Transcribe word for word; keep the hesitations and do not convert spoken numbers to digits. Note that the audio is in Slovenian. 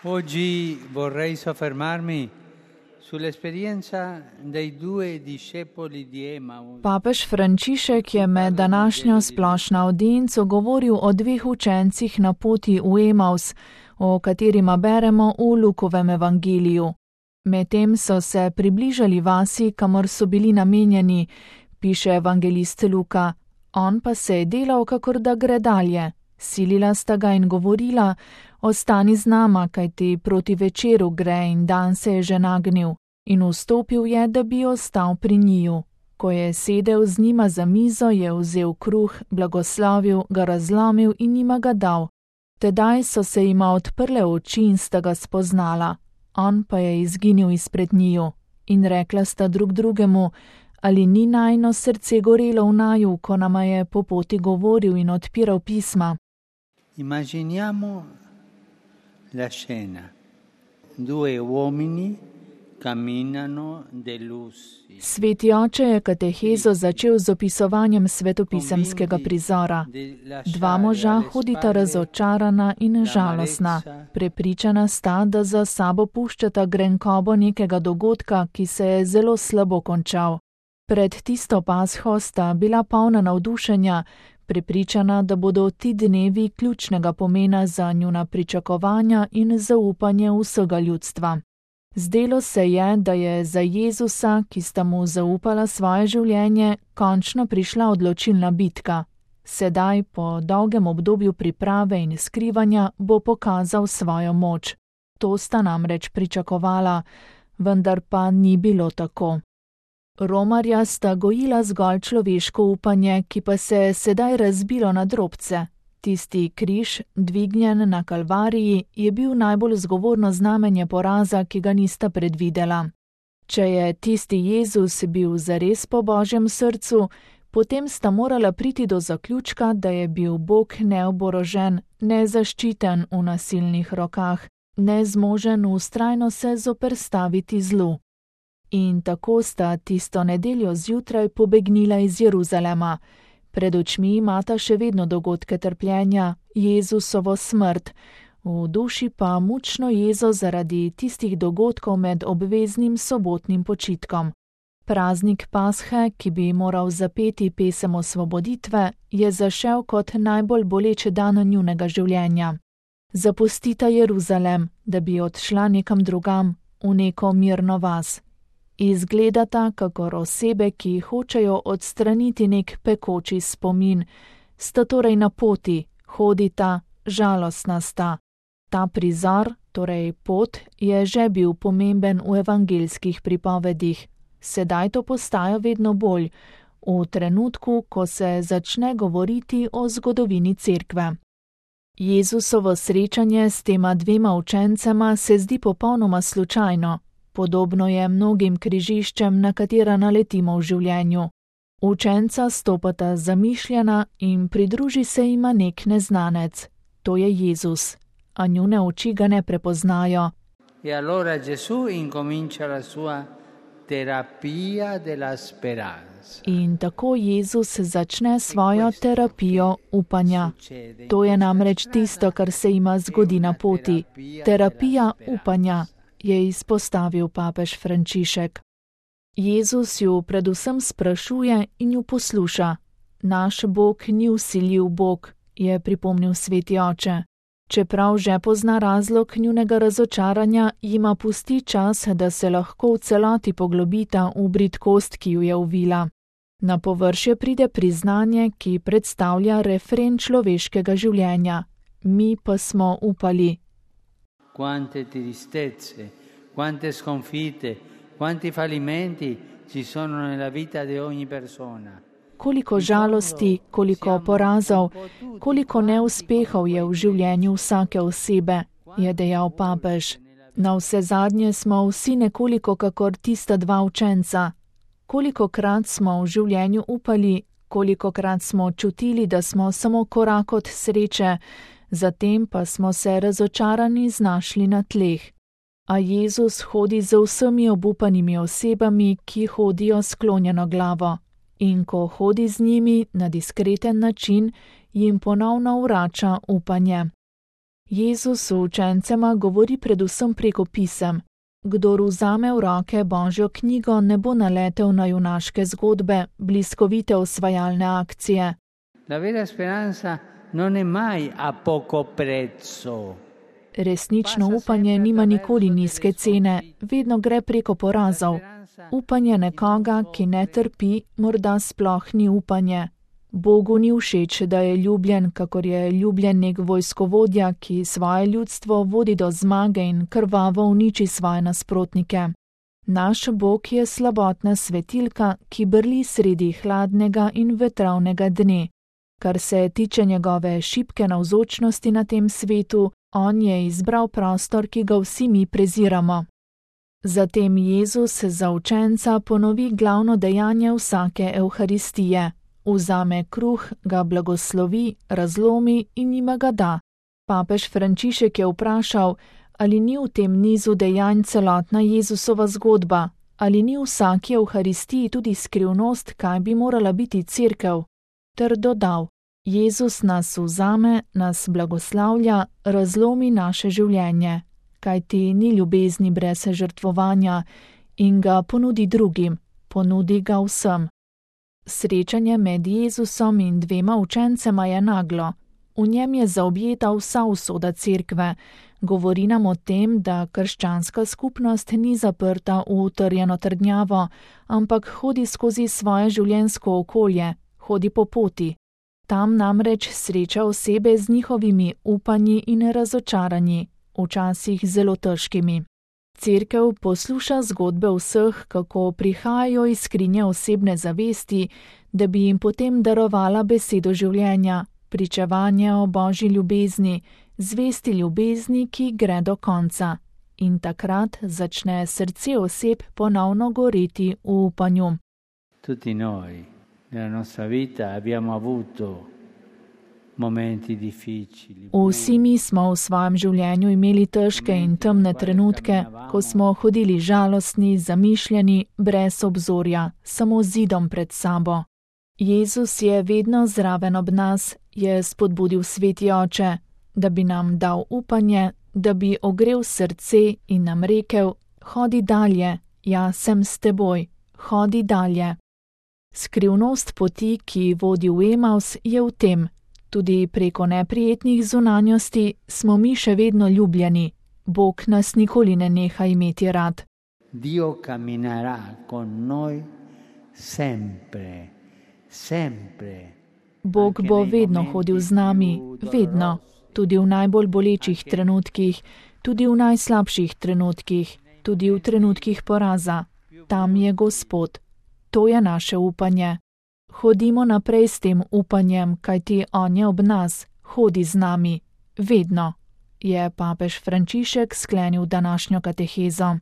Oggi vorrei soffermarmi sull'esperienza dei due discepoli di Emaus. Papež Frančišek je med današnjo splošno audienco govoril o dveh učencih na poti v Emaus, o katerima beremo v Lukovem evangeliju. Medtem so se približali vasi, kamor so bili namenjeni, piše evangelist Luka. On pa se je delal, kakor da gre dalje. Silila sta ga in govorila: ostani z nama, kajti proti večeru gre in dan se je že nagnil. In vstopil je, da bi ostal pri njiju. Ko je sedel z njima za mizo, je vzel kruh, blagoslovil, ga razlomil in njima ga dal. Tedaj so se jima odprle oči in sta ga spoznala. On pa je izginil izpred njiju. In rekla sta drug drugemu: ali ni najino srce gorelo v naju, ko nama je po poti govoril in odpiral pisma? Immaginiamo la scena. Due uomini camminano delusi. Sveti oče je katehezo začel z opisovanjem svetopisemskega prizora. Dva moža hodita razočarana in žalostna. Prepričana sta, da za sabo puščata grenkobo nekega dogodka, ki se je zelo slabo končal. Pred tisto pasho sta bila polna navdušenja, prepričana, da bodo ti dnevi ključnega pomena za njuna pričakovanja in zaupanje vsega ljudstva. Zdelo se je, da je za Jezusa, ki sta mu zaupala svoje življenje, končno prišla odločilna bitka. Sedaj, po dolgem obdobju priprave in skrivanja, bo pokazal svojo moč. To sta namreč pričakovala, vendar pa ni bilo tako. Romarja sta gojila zgolj človeško upanje, ki pa se je sedaj razbilo na drobce. Tisti križ, dvignjen na Kalvariji, je bil najbolj zgovorno znamenje poraza, ki ga nista predvidela. Če je tisti Jezus bil zares po Božjem srcu, potem sta morala priti do zaključka, da je bil Bog neoborožen, nezaščiten v nasilnih rokah, nezmožen vztrajno se zoperstaviti zlu. In tako sta tisto nedeljo zjutraj pobegnila iz Jeruzalema. Pred očmi imata še vedno dogodke trpljenja, Jezusovo smrt, v duši pa mučno jezo zaradi tistih dogodkov med obveznim sobotnim počitkom. Praznik Pashe, ki bi moral zapeti pesem osvoboditve, je zašel kot najbolj boleče dan njunega življenja. Zapustita Jeruzalem, da bi odšla nekam drugam, v neko mirno vas. Izgledata kakor osebe, ki hočejo odstraniti nek pekoči spomin, sta torej na poti, hodita, žalostna sta. Ta prizor, torej pot, je že bil pomemben v evangeljskih pripovedih. Sedaj to postaja vedno bolj, v trenutku, ko se začne govoriti o zgodovini cerkve. Jezusovo srečanje s tema dvema učencema se zdi popolnoma slučajno. Podobno je mnogim križiščem, na katera naletimo v življenju. Učenca stopata zamišljena in pridruži se jima nek neznanec. To je Jezus, a njune oči ga ne prepoznajo. E allora Gesù incomincia la sua terapia della speranza. In tako Jezus začne svojo terapijo upanja. To je namreč tisto, kar se jima zgodi na poti. Terapija upanja, je izpostavil papež Frančišek. Jezus ju predvsem sprašuje in ju posluša. Naš Bog ni vsiljiv Bog, je pripomnil sveti oče. Čeprav že pozna razlog njunega razočaranja, jima pusti čas, da se lahko v celoti poglobita v bridkost, ki ju je uvila. Na površje pride priznanje, ki predstavlja refren človeškega življenja. Mi pa smo upali. Quante tristezze, quante sconfitte, quanti fallimenti ci sono nella vita di ogni persona. Koliko žalosti, koliko porazov, koliko neuspehov je v življenju vsake osebe, je dejal papež. Na vse zadnje smo vsi nekoliko kakor tista dva učenca. Kolikokrat smo v življenju upali, kolikokrat smo čutili, da smo samo korak od sreče, zatem pa smo se razočarani znašli na tleh. A Jezus hodi z vsemi obupanimi osebami, ki hodijo sklonjeno glavo. In ko hodi z njimi na diskreten način, jim ponovno vrača upanje. Jezus učencema govori predvsem preko pisem. Kdor vzame v roke Božjo knjigo, ne bo naletel na junaške zgodbe, bliskovite osvajalne akcije. La vera speranza non è mai a poco prezzo. Resnično upanje nima nikoli nizke cene, vedno gre preko porazov. Upanje nekoga, ki ne trpi, morda sploh ni upanje. Bogu ni všeč, da je ljubljen, kakor je ljubljen nek vojskovodja, ki svoje ljudstvo vodi do zmage in krvavo uniči svoje nasprotnike. Naš Bog je slabotna svetilka, ki brli sredi hladnega in vetravnega dne. Kar se tiče njegove šibke navzočnosti na tem svetu, on je izbral prostor, ki ga vsi mi preziramo. Zatem Jezus za učenca ponovi glavno dejanje vsake evharistije. Vzame kruh, ga blagoslovi, razlomi in jima ga da. Papež Frančišek je vprašal, ali ni v tem nizu dejanj celotna Jezusova zgodba, ali ni v vsaki evharistiji tudi skrivnost, kaj bi morala biti cerkev, ter dodal: Jezus nas vzame, nas blagoslavlja, razlomi naše življenje, kajti ni ljubezni brez žrtvovanja, in ga ponudi drugim, ponudi ga vsem. Srečanje med Jezusom in dvema učencema je naglo. V njem je zaobjeta vsa usoda cerkve. Govori nam o tem, da krščanska skupnost ni zaprta v utrjeno trdnjavo, ampak hodi skozi svoje življenjsko okolje, hodi po poti. Tam namreč sreča osebe z njihovimi upanji in razočaranji, včasih zelo težkimi. Cerkev posluša zgodbe vseh, kako prihajajo iz skrinje osebne zavesti, da bi jim potem darovala besedo življenja, pričevanje o Božji ljubezni, zvesti ljubezni, ki gre do konca. In takrat začne srce oseb ponovno goreti v upanju. Tutti noi nella nostra vita abbiamo avuto momenti difficili. Vsi mi smo v svojem življenju imeli težke in temne trenutke, ko smo hodili žalostni, zamišljeni, brez obzorja, samo zidom pred sabo. Jezus je vedno zraven ob nas, je spodbudil Sveti Oče, da bi nam dal upanje, da bi ogrel srce in nam rekel: hodi dalje, jaz sem s teboj, hodi dalje. Skrivnost poti, ki vodi v Emaus, je v tem: tudi preko neprijetnih zunanjosti smo mi še vedno ljubljeni. Bog nas nikoli ne neha imeti rad. Dio camminerà con noi sempre, sempre. Bog bo vedno hodil z nami, vedno, tudi v najbolj bolečih trenutkih, tudi v najslabših trenutkih, tudi v trenutkih poraza. Tam je Gospod. To je naše upanje. Hodimo naprej s tem upanjem, kajti on je ob nas, hodi z nami, vedno, je papež Frančišek sklenil današnjo katehezo.